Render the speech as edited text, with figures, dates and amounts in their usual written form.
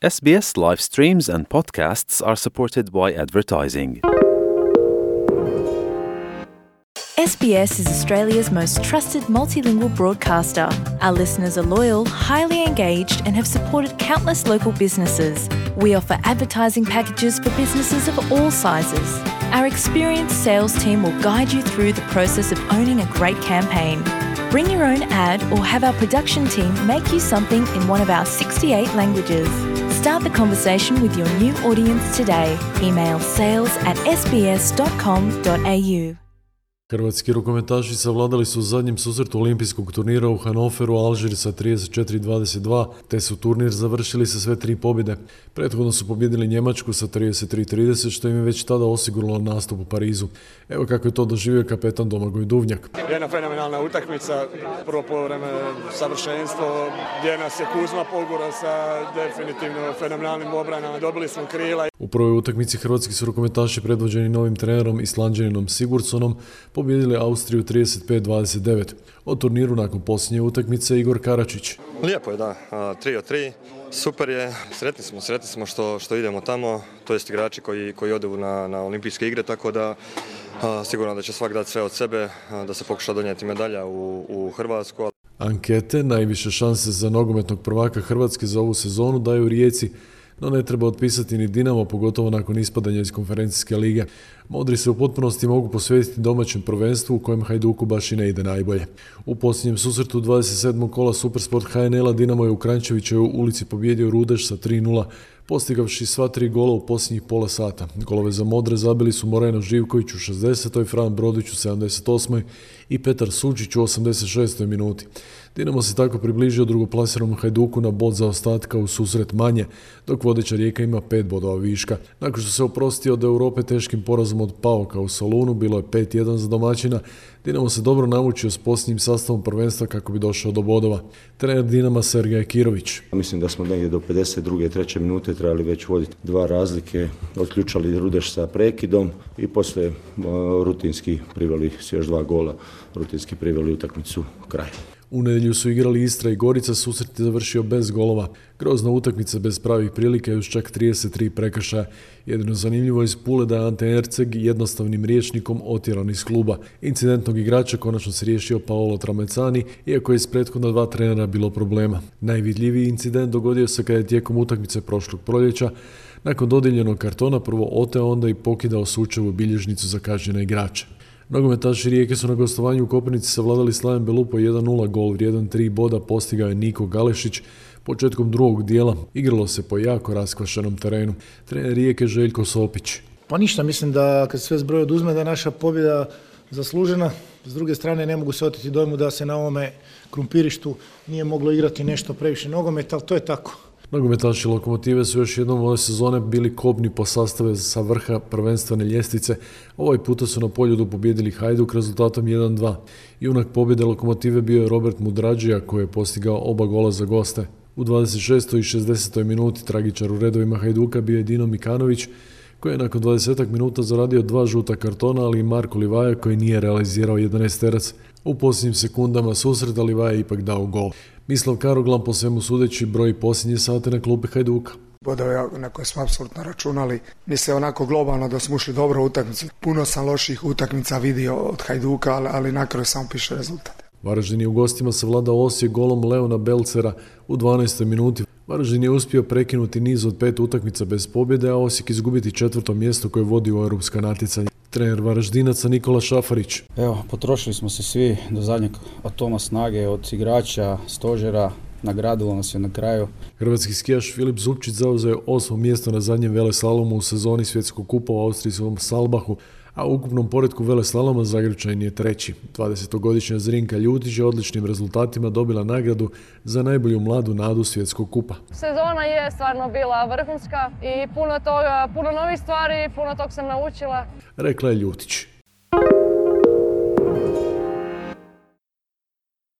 SBS live streams and podcasts are supported by advertising. SBS is Australia's most trusted multilingual broadcaster. Our listeners are loyal, highly engaged, and have supported countless local businesses. We offer advertising packages for businesses of all sizes. Our experienced sales team will guide you through the process of owning a great campaign. Bring your own ad or have our production team make you something in one of our 68 languages. Start the conversation with your new audience today. Email sales@sbs.com.au. Hrvatski rukometaši savladali su u zadnjem susretu olimpijskog turnira u Hannoveru Alžir sa 34-22, te su turnir završili sa sve 3 pobjede. Prethodno su pobjedili Njemačku sa 33-30, što im je već tada osiguralo nastup u Parizu. Evo kako je to doživio kapetan Domagoj Duvnjak. Jedna fenomenalna utakmica, prvo poluvreme savršenstvo, gdje nas je Kuzma pogurao sa definitivno fenomenalnim obranama, dobili smo krila. U prvoj utakmici hrvatski su rukometaši predvođeni novim trenerom Islanđaninom Sigurdssonom pobijedili Austriju 35-29. O turniru nakon posljednje utakmice Igor Karačić. Lijepo je, da. 3-3. Super je. Sretni smo što idemo tamo. To jest igrači koji odu na olimpijske igre, tako da sigurno da će svak dati sve od sebe, da se pokuša donijeti medalja u Hrvatsku. Ankete najviše šanse za nogometnog prvaka Hrvatske za ovu sezonu daju Rijeci, no ne treba otpisati ni Dinamo, pogotovo nakon ispadanja iz konferencijske lige. Modri se u potpunosti mogu posvetiti domaćem prvenstvu u kojem Hajduku baš i ne ide najbolje. U posljednjem susretu 27. kola Supersport HNL-a Dinamo je u Kranjčevićevoj ulici pobijedio Rudeš sa 3-0, postigavši sva 3 gola u posljednjih pola sata. Golove za Modre zabili su Moreno Živković u 60. Fran Brodić u 78. i Petar Sučić u 86. minuti. Dinamo se tako približio drugoplasiranom Hajduku na bod zaostatka u susret manje, dok vodeća Rijeka ima 5 bodova viška. Nakon što se oprostio od Europe teškim porazom od PAOK-a u Solunu, bilo je 5-1 za domaćina, Dinamo se dobro namučio s posljednjim sastavom prvenstva kako bi došao do bodova. Trener Dinama Sergej Kirović. Mislim da smo negdje do 52. 3. minute trebali već voditi 2 razlike, otključali Rudeš sa prekidom i poslije rutinski priveli s još 2 gola, rutinski priveli utakmicu kraj. U nedjelju su igrali Istra i Gorica, susret je završio bez golova. Grozna utakmica bez pravih prilika i uz čak 33 prekršaja. Jedino zanimljivo iz Pule da je Ante Erceg jednostavnim rječnikom otjeran iz kluba. Incidentnog igrača konačno se riješio Paolo Tramezzani, iako je iz prethodna 2 trenera bilo problema. Najvidljiviji incident dogodio se kada je tijekom utakmice prošlog proljeća nakon dodijeljenog kartona prvo oteo, onda i pokidao Sučevu bilježnicu za kažnjene igrače. Nogometaši Rijeke su na gostovanju u Koprivnici savladali Slaven Belupo 1-0, gol vrijedan 3 boda postigao je Niko Galešić. Početkom drugog dijela igralo se po jako raskvašenom terenu. Trener Rijeke Željko Sopić. Pa ništa, mislim da kad sve zbroj oduzme da je naša pobjeda zaslužena. S druge strane ne mogu se oteti dojmu da se na ovome krumpirištu nije moglo igrati nešto previše nogometa, ali to je tako. Nogometaši Lokomotive su još jednom ove sezone bili kobni po sastave sa vrha prvenstvene ljestvice. Ovaj puta su na Poljudu pobijedili Hajduk rezultatom 1-2. Junak pobjede Lokomotive bio je Robert Mudrađija koji je postigao oba gola za goste. U 26. i 60. minuti tragičar u redovima Hajduka bio je Dino Mikanović koji je nakon 20 minuta zaradio 2 žuta kartona, ali i Marko Livaja koji nije realizirao 11 terac. U posljednjim sekundama susreta Livaja je ipak dao gol. Mislav Karoglan po svemu sudeći broji posljednje sate na klupi Hajduka. Bodove na koje smo apsolutno računali. Mislim onako globalno da smo ušli dobro u utakmicu. Puno sam loših utakmica vidio od Hajduka, ali na kraju samo piše rezultat. Varaždin je u gostima savladao Osijek golom Leona Belcera u 12. minuti. Varaždin je uspio prekinuti niz od 5 utakmica bez pobjede, a Osijek izgubiti 4. mjesto koje vodi u europska natjecanja. Trener Varaždinaca Nikola Šafarić. Evo, potrošili smo se svi do zadnjeg atoma snage, od igrača, stožera, nagradilo nas je na kraju. Hrvatski skijaš Filip Zupčić zauzeo je 8. mjesto na zadnjem veleslalomu u sezoni svjetskog kupa u austrijskom Salbahu, a u ukupnom poretku veleslaloma Zagrepčanin je 3. 20-godišnja Zrinka Ljutić je odličnim rezultatima dobila nagradu za najbolju mladu nadu svjetskog kupa. Sezona je stvarno bila vrhunska i puno novih stvari, puno tog sam naučila. Rekla je Ljutić.